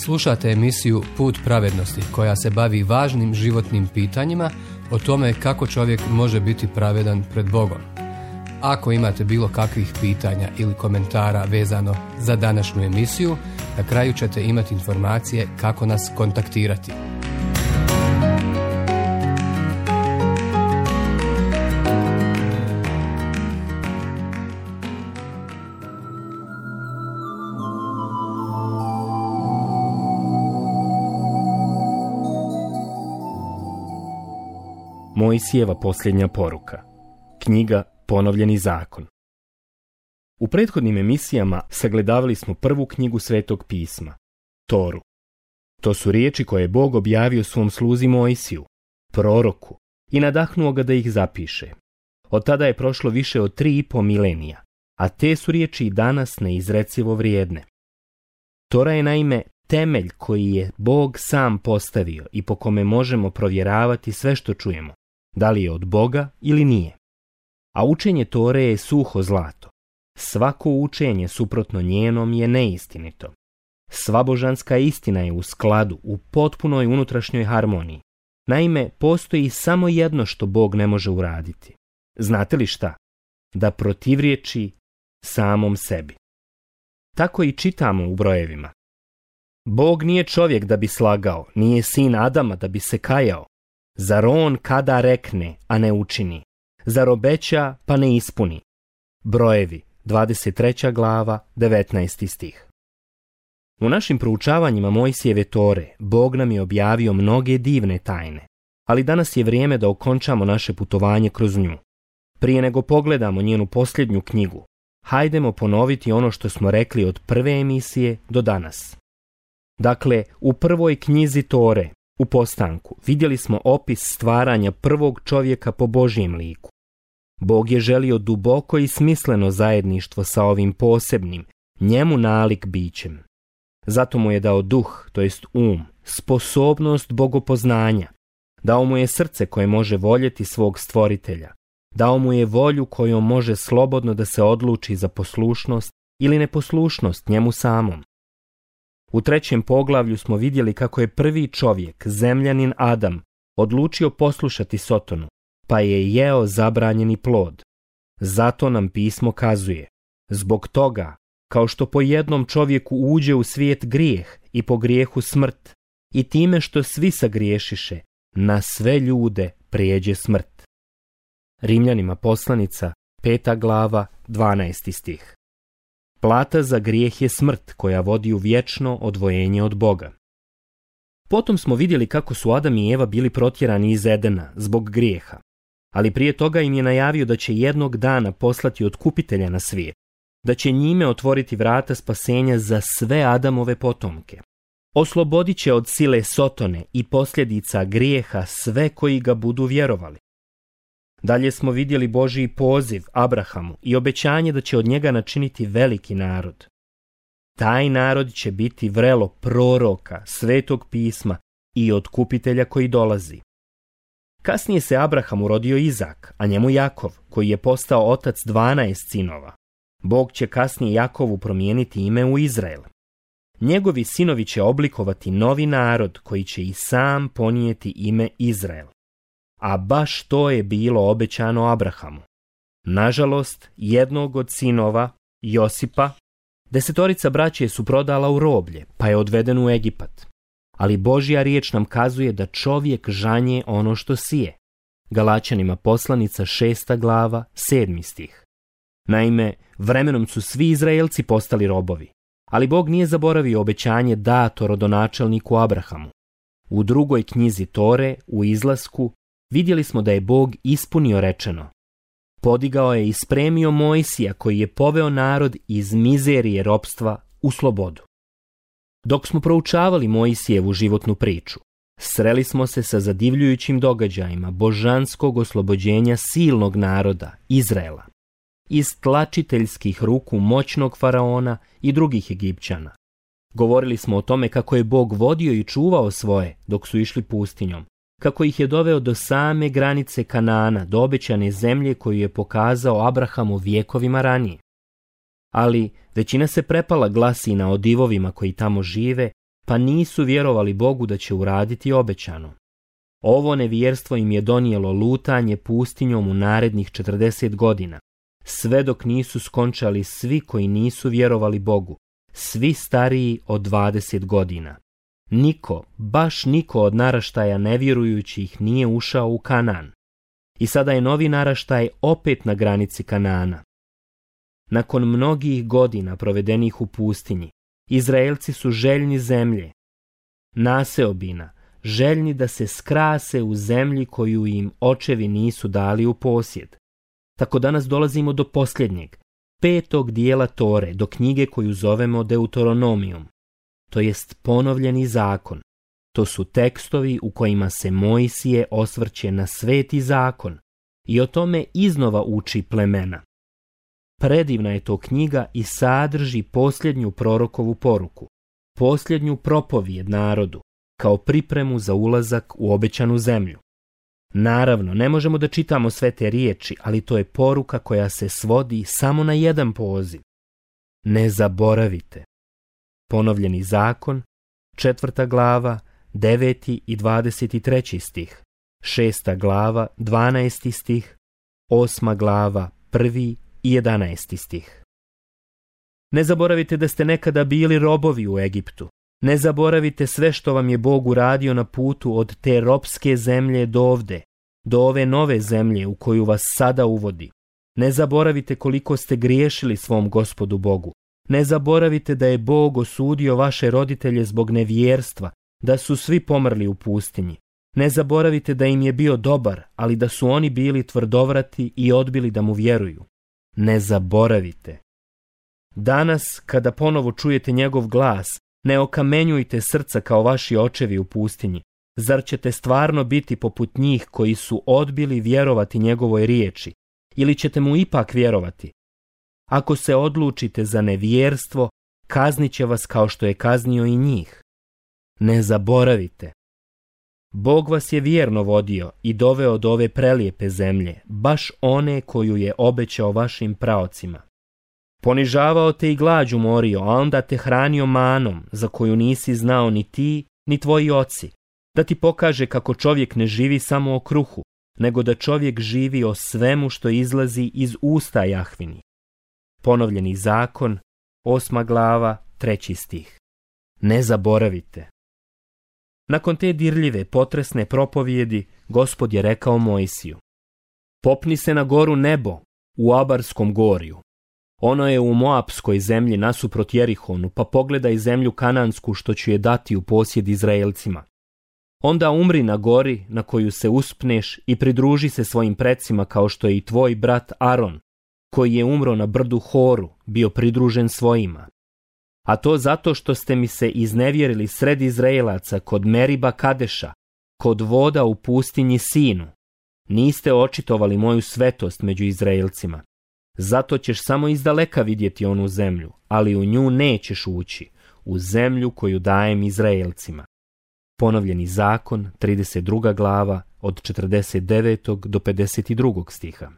Slušate emisiju Put pravednosti koja se bavi važnim životnim pitanjima o tome kako čovjek može biti pravedan pred Bogom. Ako imate bilo kakvih pitanja ili komentara vezano za današnju emisiju, na kraju ćete imati informacije kako nas kontaktirati. Mojsijeva posljednja poruka. Knjiga Ponovljeni zakon. U prethodnim emisijama sagledavali smo prvu knjigu Svetog pisma, Toru. To su riječi koje je Bog objavio svom sluzi Mojsiju, proroku, i nadahnuo ga da ih zapiše. Od tada je prošlo više od 3,5 milenija, a te su riječi i danas neizrecivo vrijedne. Tora je naime temelj koji je Bog sam postavio i po kome možemo provjeravati sve što čujemo, da li je od Boga ili nije. A učenje Tore je suho zlato. Svako učenje suprotno njenom je neistinito. Sva božanska istina je u skladu, u potpunoj unutrašnjoj harmoniji. Naime, postoji samo jedno što Bog ne može uraditi. Znate li šta? Da protivriječi samom sebi. Tako i čitamo u brojevima. Bog nije čovjek da bi slagao, nije sin Adama da bi se kajao. Zar on kada rekne, a ne učini? Zar obeća, pa ne ispuni? Brojevi, 23. glava, 19. stih. U našim proučavanjima Mojsijeve Tore, Bog nam je objavio mnoge divne tajne, ali danas je vrijeme da okončamo naše putovanje kroz nju. Prije nego pogledamo njenu posljednju knjigu, hajdemo ponoviti ono što smo rekli od prve emisije do danas. Dakle, u prvoj knjizi Tore, u postanku, vidjeli smo opis stvaranja prvog čovjeka po Božjem liku. Bog je želio duboko i smisleno zajedništvo sa ovim posebnim, njemu nalik bićem. Zato mu je dao duh, to jest sposobnost bogopoznanja. Dao mu je srce koje može voljeti svog stvoritelja. Dao mu je volju kojom može slobodno da se odluči za poslušnost ili neposlušnost njemu samom. U 3. poglavlju smo vidjeli kako je prvi čovjek, zemljanin Adam, odlučio poslušati Sotonu, pa je jeo zabranjeni plod. Zato nam pismo kazuje, zbog toga, kao što po jednom čovjeku uđe u svijet grijeh i po grijehu smrt, i time što svi sagriješiše, na sve ljude prijeđe smrt. Rimljanima poslanica, 5. glava, 12. stih. Plata za grijeh je smrt koja vodi u vječno odvojenje od Boga. Potom smo vidjeli kako su Adam i Eva bili protjerani iz Edena zbog grijeha, ali prije toga im je najavio da će jednog dana poslati otkupitelja na svijet, da će njime otvoriti vrata spasenja za sve Adamove potomke. Oslobodit će od sile Sotone i posljedica grijeha sve koji ga budu vjerovali. Dalje smo vidjeli Božji poziv Abrahamu i obećanje da će od njega načiniti veliki narod. Taj narod će biti vrelo proroka, Svetog pisma i otkupitelja koji dolazi. Kasnije se Abrahamu rodio Izak, a njemu Jakov, koji je postao otac 12 sinova. Bog će kasnije Jakovu promijeniti ime u Izrael. Njegovi sinovi će oblikovati novi narod koji će i sam ponijeti ime Izrael. A baš to je bilo obećano Abrahamu. Nažalost, jednog od sinova, Josipa, 10 braće su prodala u roblje, pa je odveden u Egipat. Ali Božja riječ nam kazuje da čovjek žanje ono što sije. Galačanima poslanica 6. glava, 7. stih. Naime, vremenom su svi Izraelci postali robovi, ali Bog nije zaboravio obećanje dato rodonačelniku Abrahamu. U 2. knjizi Tore, u izlasku, vidjeli smo da je Bog ispunio rečeno. Podigao je i spremio Mojsija koji je poveo narod iz mizerije ropstva u slobodu. Dok smo proučavali Mojsijevu životnu priču, sreli smo se sa zadivljujućim događajima božanskog oslobođenja silnog naroda, Izraela, iz tlačiteljskih ruku moćnog faraona i drugih Egipćana. Govorili smo o tome kako je Bog vodio i čuvao svoje dok su išli pustinjom, kako ih je doveo do same granice Kanaana, do obećane zemlje koju je pokazao Abrahamu vjekovima ranije. Ali većina se prepala glasina o divovima koji tamo žive, pa nisu vjerovali Bogu da će uraditi obećano. Ovo nevjerstvo im je donijelo lutanje pustinjom u narednih 40 godina, sve dok nisu skončali svi koji nisu vjerovali Bogu, svi stariji od 20 godina. Niko, baš niko od naraštaja nevjerujućih nije ušao u Kanaan. I sada je novi naraštaj opet na granici Kanaana. Nakon mnogih godina provedenih u pustinji, Izraelci su željni zemlje, naseobina, željni da se skrase u zemlji koju im očevi nisu dali u posjed. Tako danas dolazimo do posljednjeg, 5. dijela Tore, do knjige koju zovemo Deuteronomijom, to jest ponovljeni zakon. To su tekstovi u kojima se Mojsije osvrće na sveti zakon i o tome iznova uči plemena. Predivna je to knjiga i sadrži posljednju prorokovu poruku, posljednju propovijed narodu, kao pripremu za ulazak u obećanu zemlju. Naravno, ne možemo da čitamo sve te riječi, ali to je poruka koja se svodi samo na jedan poziv. Ne zaboravite. Ponovljeni zakon, 4. glava, 9. i 23. stih, 6. glava, 12. stih, 8. glava, 1. i 11. stih. Ne zaboravite da ste nekada bili robovi u Egiptu. Ne zaboravite sve što vam je Bog uradio na putu od te ropske zemlje do ovde, do ove nove zemlje u koju vas sada uvodi. Ne zaboravite koliko ste griješili svom Gospodu Bogu. Ne zaboravite da je Bog osudio vaše roditelje zbog nevjerstva, da su svi pomrli u pustinji. Ne zaboravite da im je bio dobar, ali da su oni bili tvrdovrati i odbili da mu vjeruju. Ne zaboravite. Danas, kada ponovo čujete njegov glas, ne okamenjujte srca kao vaši očevi u pustinji. Zar ćete stvarno biti poput njih koji su odbili vjerovati njegovoj riječi? Ili ćete mu ipak vjerovati? Ako se odlučite za nevjerstvo, kaznit će vas kao što je kaznio i njih. Ne zaboravite. Bog vas je vjerno vodio i doveo do ove prelijepe zemlje, baš one koju je obećao vašim praocima. Ponižavao te i glađu morio, a onda te hranio manom, za koju nisi znao ni ti, ni tvoji oci, da ti pokaže kako čovjek ne živi samo o kruhu, nego da čovjek živi o svemu što izlazi iz usta Jahvini. Ponovljeni zakon, 8. glava, 3. stih. Ne zaboravite. Nakon te dirljive, potresne propovijedi, Gospod je rekao Mojsiju: popni se na goru Nebo, u Abarskom gorju. Ono je u Moapskoj zemlji nasuprot Jerihonu, pa pogledaj zemlju kanansku što ću je dati u posjed Izraelcima. Onda umri na gori na koju se uspneš i pridruži se svojim precima kao što je i tvoj brat Aron, koji je umro na brdu Horu, bio pridružen svojima. A to zato što ste mi se iznevjerili sred Izraelaca kod Meriba Kadeša, kod voda u pustinji Sinu. Niste očitovali moju svetost među Izraelcima. Zato ćeš samo izdaleka vidjeti onu zemlju, ali u nju nećeš ući, u zemlju koju dajem Izraelcima. Ponovljeni zakon, 32. glava, od 49. do 52. stiha.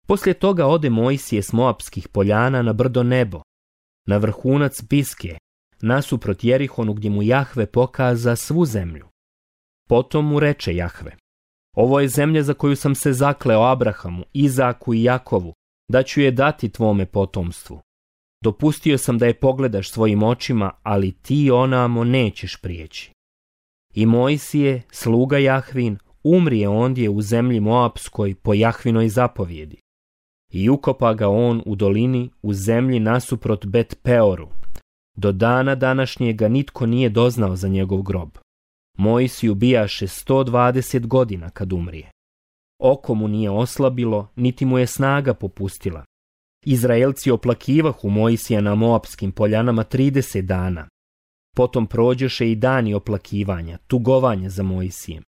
Poslije toga ode Mojsije s Moapskih poljana na brdo Nebo, na vrhunac Piske, nasuprot Jerihonu gdje mu Jahve pokaza svu zemlju. Potom mu reče Jahve: ovo je zemlja za koju sam se zakleo Abrahamu, Izaku i Jakovu, da ću je dati tvome potomstvu. Dopustio sam da je pogledaš svojim očima, ali ti onamo nećeš prijeći. I Mojsije, sluga Jahvin, umrije ondje u zemlji Moapskoj po Jahvinoj zapovjedi. I ukopa ga on u dolini u zemlji nasuprot Bet Peoru. Do dana današnjega nitko nije doznao za njegov grob. Mojsiju bijaše 120 godina kad umrije. Oko mu nije oslabilo, niti mu je snaga popustila. Izraelci oplakivahu Mojsija na Moapskim poljanama 30 dana. Potom prođeše i dani oplakivanja, tugovanja za Mojsijem.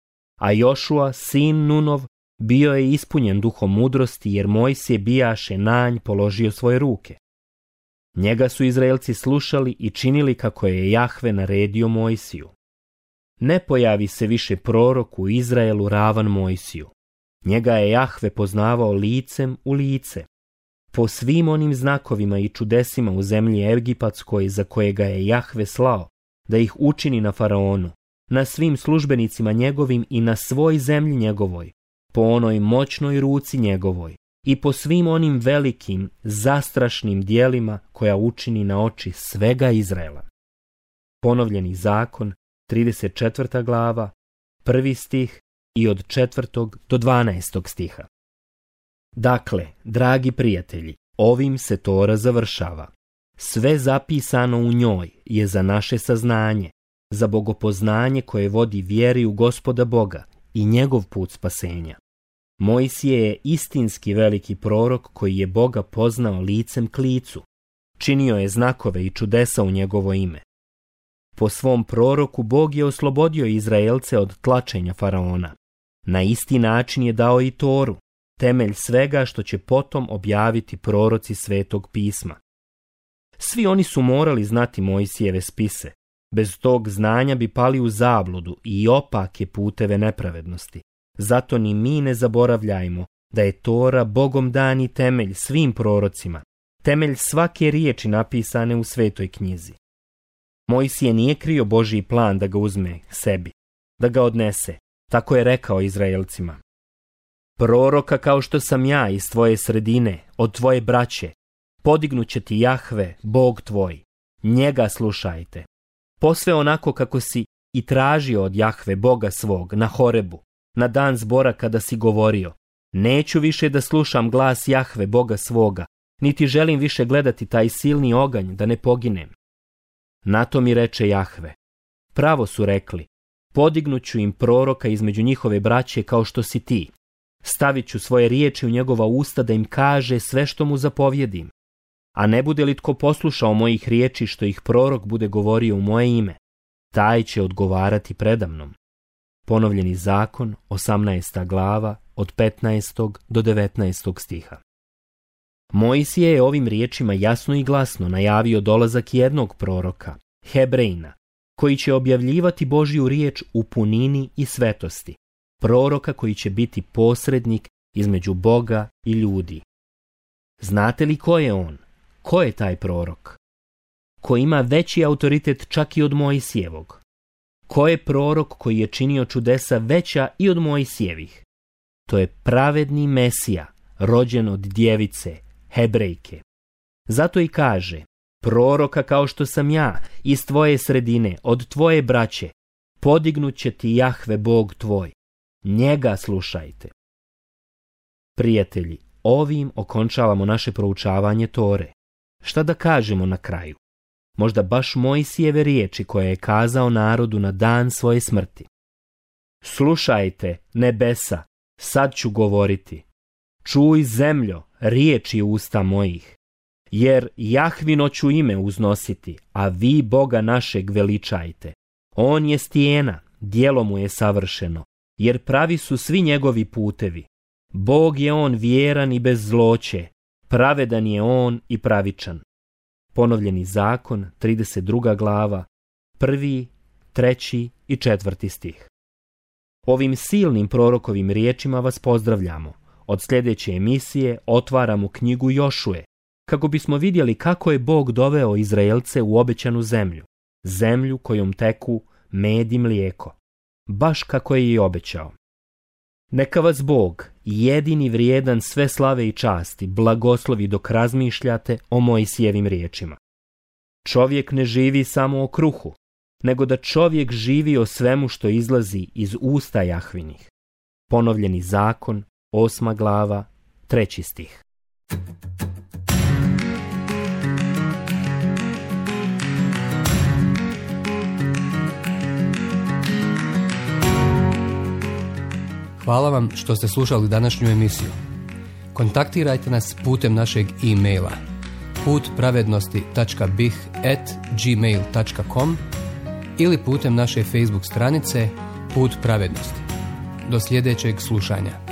A Jošua, sin Nunov, bio je ispunjen duhom mudrosti, jer Mojsije bijaše na nj položio svoje ruke. Njega su Izraelci slušali i činili kako je Jahve naredio Mojsiju. Ne pojavi se više prorok u Izraelu ravan Mojsiju. Njega je Jahve poznavao licem u lice. Po svim onim znakovima i čudesima u zemlji Egipatskoj za koje ga je Jahve slao, da ih učini na faraonu, na svim službenicima njegovim i na svoj zemlji njegovoj, po onoj moćnoj ruci njegovoj i po svim onim velikim, zastrašnim dijelima koja učini na oči svega Izraela. Ponovljeni zakon, 34. glava, 1. stih i od 4. do 12. stiha. Dakle, dragi prijatelji, ovim se Tora završava. Sve zapisano u njoj je za naše saznanje, za bogopoznanje koje vodi vjeri u Gospoda Boga i njegov put spasenja. Mojsije je istinski veliki prorok koji je Boga poznao licem k licu. Činio je znakove i čudesa u njegovo ime. Po svom proroku Bog je oslobodio Izraelce od tlačenja faraona. Na isti način je dao i Toru, temelj svega što će potom objaviti proroci Svetog pisma. Svi oni su morali znati Mojsijeve spise. Bez tog znanja bi pali u zabludu i opake puteve nepravednosti. Zato ni mi ne zaboravljajmo da je Tora Bogom dani temelj svim prorocima, temelj svake riječi napisane u Svetoj knjizi. Mojsije nije krio Božji plan da ga uzme sebi, da ga odnese, tako je rekao Izraelcima. Proroka kao što sam ja iz tvoje sredine, od tvoje braće, podignut će ti Jahve, Bog tvoj, njega slušajte. Posve onako kako si i tražio od Jahve, Boga svog, na Horebu, na dan zbora kada si govorio, neću više da slušam glas Jahve, Boga svoga, niti želim više gledati taj silni oganj da ne poginem. Na to mi reče Jahve, pravo su rekli, podignut ću im proroka između njihove braće kao što si ti. Stavit ću svoje riječi u njegova usta da im kaže sve što mu zapovjedim. A ne bude li tko poslušao mojih riječi što ih prorok bude govorio u moje ime, taj će odgovarati predamnom. Ponovljeni zakon, 18. glava, od 15. do 19. stiha. Mojsije je ovim riječima jasno i glasno najavio dolazak jednog proroka, Hebrejna, koji će objavljivati Božju riječ u punini i svetosti, proroka koji će biti posrednik između Boga i ljudi. Znate li ko je on? Ko je taj prorok? Ko ima veći autoritet čak i od Mojsijevog? Ko je prorok koji je činio čudesa veća i od Mojsijevih? To je pravedni Mesija, rođen od djevice, Hebrejke. Zato i kaže, proroka kao što sam ja, iz tvoje sredine, od tvoje braće, podignut će ti Jahve Bog tvoj. Njega slušajte. Prijatelji, ovim okončavamo naše proučavanje Tore. Šta da kažemo na kraju? Možda baš Mojsijeve riječi koje je kazao narodu na dan svoje smrti. Slušajte, nebesa, sad ću govoriti. Čuj zemljo, riječi usta mojih. Jer Jahvino ću ime uznositi, a vi Boga našeg veličajte. On je stijena, djelo mu je savršeno, jer pravi su svi njegovi putevi. Bog je on vjeran i bez zloće, pravedan je on i pravičan. Ponovljeni zakon, 32. glava, 1., 3. i 4. stih. Ovim silnim prorokovim riječima vas pozdravljamo. Od sljedeće emisije otvaramo knjigu Jošue, kako bismo vidjeli kako je Bog doveo Izraelce u obećanu zemlju, zemlju kojom teku med i mlijeko, baš kako je i obećao. Neka vas Bog, jedini vrijedan sve slave i časti, blagoslovi dok razmišljate o Mojsijevim riječima. Čovjek ne živi samo o kruhu, nego da čovjek živi o svemu što izlazi iz usta Jahvinih. Ponovljeni zakon, 8. glava, 3. stih. Hvala vam što ste slušali današnju emisiju. Kontaktirajte nas putem našeg e-maila putpravednosti.bih@gmail.com ili putem naše Facebook stranice Put pravednosti. Do sljedećeg slušanja.